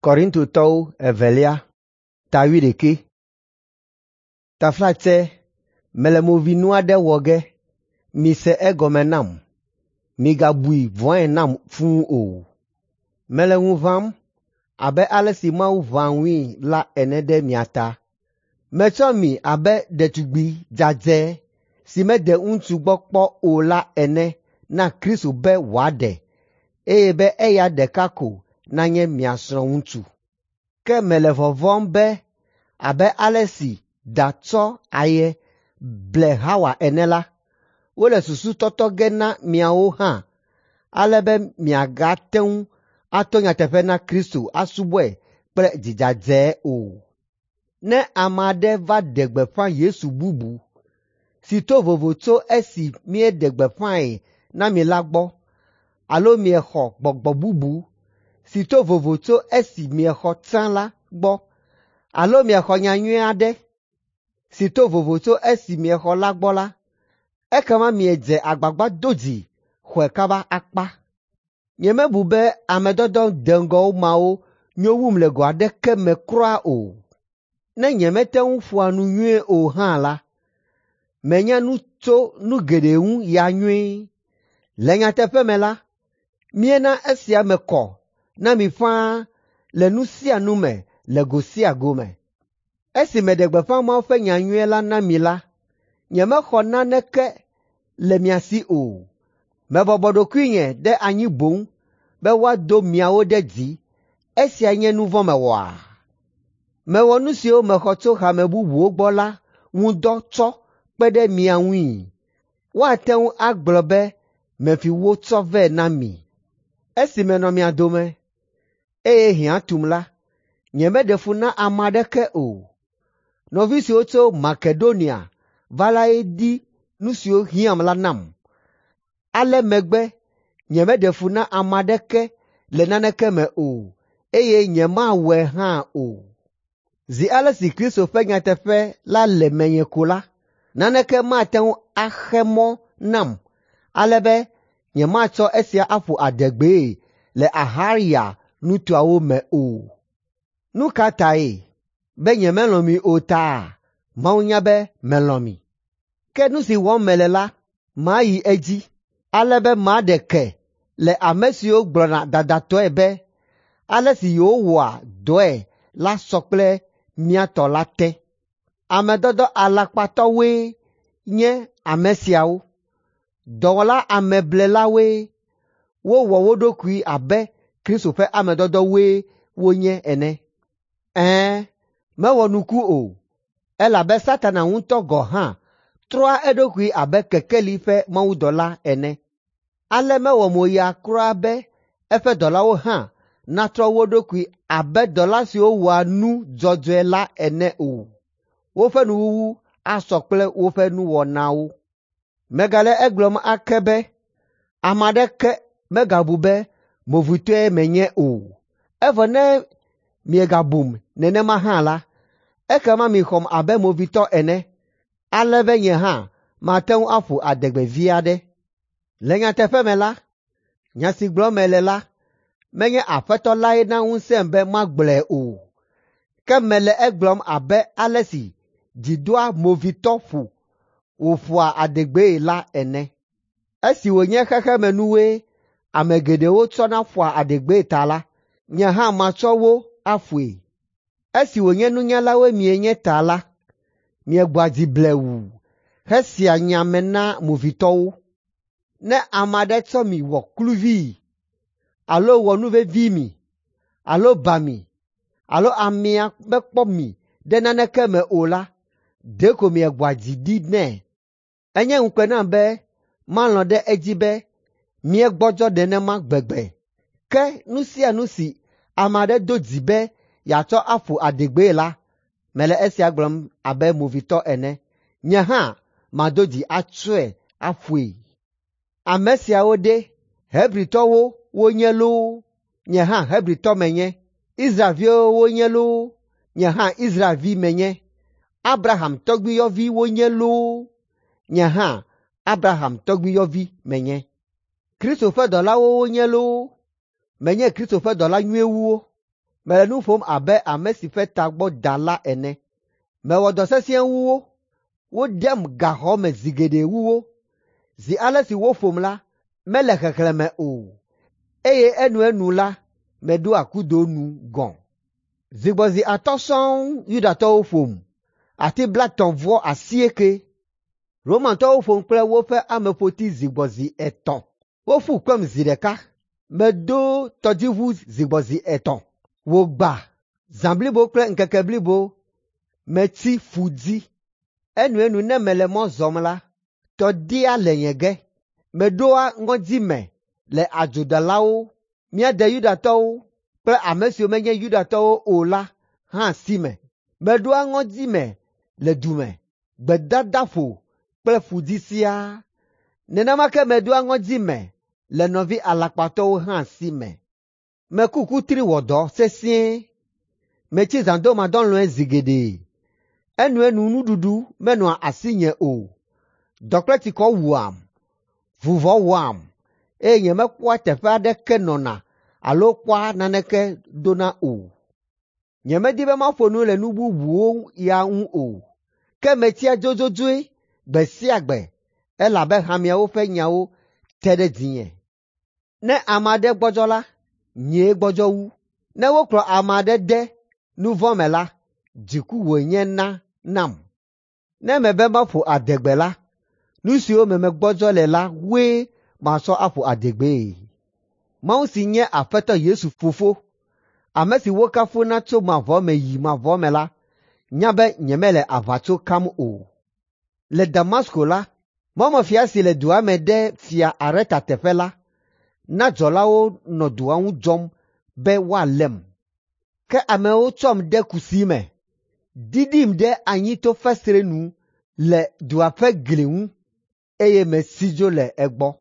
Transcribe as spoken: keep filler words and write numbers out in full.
Korintotɔwo evelia ta wuiɖekɛ. Taflatse mele movinu aɖe wɔ ge, mise egɔme nam. Migabui vɔ̃e nam fũu o. Mele ŋu ʋãm abe ale si Mawu ʋãa ŋui la ene ɖe mia ta. Metsɔ mi abe ɖetugbi dzadzɛ si mede ŋutsu gbɔ kpɔ o la ene na Kristo be wòaɖe, eye be eya ɖeka ko nanye mia srɔ̃ŋutsu. Ke mele vɔvɔ̃m be abe ale si da tsɔ aye ble Hawa ene la, wole susu tɔtɔ ge na miawo hã ale be miagate ŋu ato nyateƒe na Kristo asubɔe kple dzi dzadzɛ o. Ne ame aɖe va ɖe gbeƒã Yesu bubu si to vovo tso esi míeɖe gbeƒãe na mi la gbɔ, alo miexɔ gbɔgbɔ bubu si to vovo tso esi miexɔ tsã la gbɔ, alo miexɔ nyanyui aɖe si to vovo tso esi miexɔ la gbɔ la, ekema miedze agbagba do dzi xɔe kaba akpa. Nyemebu be ame dɔdɔ deŋgɔ mawo nyo wum le go aɖeke me kura o. Ne nyemete ŋu ƒoa nu nyuie o hã la, menya nu tso nu geɖe ŋu ya nyuie. Le nyateƒe me la, míena esia me kɔ na mi ƒãa le nu sia nu me le go sia go me. Esi meɖe gbeƒã Mawu ƒe nyanyui la na mi la, nyemexɔ naneke le mia si o. Mebɔbɔ ɖokuinye ɖe anyi boŋ be woado miawo ɖe dzi. Esia nye nu vɔ̃ mewɔa? Mewɔ nu siwo mexɔ tso hame bubuwo gbɔ la ŋu dɔ tsɔ kpe ɖe mia ŋui. Woate ŋu agblɔ be mefi wo tsɔ vɛ na mi. Esi menɔ mia dome, eye hiã tum la, nyemeɖe fu na ame aɖeke o. Nɔvi siwo tso Makedonia va lae di nu siwo hiãm la nam. Ale megbe nyemeɖe fu na ame aɖeke le naneke me o, eye nyemawɔe hã o. Zi ale si Kristo ƒe nyateƒe la le menye ko la, naneke mate ŋu axe mɔ nam ale be nyematsɔ esia aƒo adegbee le Axaya nutoawo me o. Nu ka tae? Be nyemelɔ̃ mi o taa? Mawu nya be melɔ̃ mi. Ke nu si wɔm mele la, mayi edzi ale be maɖe ke le ame siwo gblɔna dadatɔe be ale si yewowɔa dɔe la sɔ kple mía tɔ la te. Ame dɔdɔ alakpatɔwoe nye ame siawo. Dɔwɔla ameblelawoe. Wowɔ wo ɖokui abe Kristo ƒe ame dɔdɔwoe wonye ene. Ɛ̃, mewɔ nuku o, elabe Satana ŋutɔ gɔ̃ hã trɔa eɖokui abe kekeli ƒe mawudɔla ene. Ale mewɔ moya kura be eƒe dɔlawo hã natrɔ wo ɖokui abe dɔla siwo wɔa nu dzɔdzɔe la ene o. Woƒe nuwuwu asɔ kple woƒe nuwɔnawo. Megale egblɔm ake be ame aɖeke megabu be movitɔe menye o. Evɔ ne miegabum nenema hã la, ekema mixɔm abe movitɔ ene, ale be nye hã mate ŋu aƒo adegbe vi aɖe. Le nyateƒe me la, nya si gblɔm mele la, menye Aƒetɔ lae na ŋusẽm be magblɔe o, ke mele egblɔm abe ale si dzi doa movitɔ ƒo wòƒoa adegbee la ene. Esi wònye xexemenuwoe ame geɖewo tsɔna ƒoa adegbee ta la, nye hã matsɔ wo aƒoe. Esi wònye nunyalawoe mienye ta la, miegbɔa dzi blewu hesea nya me na movitɔwo. Ne ame aɖe tsɔ mi wɔ kluvii, alo wɔ nu vevi mi, alo ba mi, alo amea mekpɔ mi ɖe naneke me o la, ɖeko miegbɔa dzi ɖi nɛ. Enye ŋukpe nam be malɔ̃ ɖe edzi be míegbɔdzɔ nenema gbegbe. Ke nu sia nu si ame aɖe do dzi be yeatsɔ aƒo adegbee la, mele esia gblɔm abe movitɔ ene. Nye hã mado dzi atsɔe aƒoe. Ame siawo ɖe, Hebritɔwo wonye loo, nye hã Hebritɔ menye. Israelviwo wonye loo, nye hã Israelvi menye. Abraham tɔgbuiyɔvi wonye loo, nye hã Abraham tɔgbuiyɔvi menye. Kristo ƒe dɔlawo wonye loo, menye Kristo ƒe dɔla nyuiwo. Mele nu ƒom abe ame si ƒe tagbɔ da la ene. Mewɔ dɔ sesĩe wu wo. Wodem gaxɔ me zi geɖe wu wo. Zi ale si woƒom la, mele xexlẽme o, eye enuenu la, meɖoa kudo nu gɔ̃. Zigbɔzi atɔ̃ sɔŋ Yudatɔwo ƒom, ati blaetɔ̃ vɔ asieke. Romatɔwo ƒom kple woƒe ameƒoti zigbɔzi etɔ̃. Woƒu kpem zi ɖeka. Medo tɔdziʋu zigbɔzi etɔ̃. Wògbã zã blibo kple ŋkeke blibo metsi ƒu dzi. Enuenu ne mele mɔ zɔm la, tɔdia le nye ge. Meɖoa ŋɔdzi me le adzodalawo, mía de Yudatɔwo kple ame siwo menye Yudatɔwo o la hã si me. Meɖoa ŋɔdzi me le du me, gbedadaƒo kple ƒu dzi siaa. Nenema ke meɖoa ŋɔdzi me le nɔvi alakpatɔwo hã si me. Meku kutri wɔ dɔ sesĩe. Metsi zãdomadɔlɔ̃e zi geɖe. Enuenu nuɖuɖu menɔa asinye o. Dɔ kple tsikɔ wuam, vuvɔ wɔam, eye nyemekpɔa teƒe aɖeke nɔna alo kpɔa naneke dona o. Nyemedi be maƒo nu le nu bubuwo ya ŋu o, ke metsia dzodzodzoe gbe sia gbe elabe hameawo ƒe nyawo te ɖe dzinye. Ne ame aɖe gbɔdzɔ la, nyee gbɔdzɔ wu. Ne wokplɔ ame aɖe de nu vɔ̃ me la, dziku wònyena nam. Ne mebe maƒo adegbe la, nu siwo me megbɔdzɔ le la woe matsɔ aƒo adegbee. Mawu si nye Aƒetɔ Yesu Fofo, ame si wokafuna tso mavɔ me yi mavɔ me la, nya be nyemele aʋatso kam o. Le Damasko la, mɔmefia si le dua me ɖe fia Areta teƒe la, na dzɔlawo nɔ dua ŋu dzɔm be woalém. Ke amewo tsɔm de kusi me, ɖiɖim ɖe anyi to fesre nu le dua ƒe gli ŋu, eye mesi dzo le egbɔ.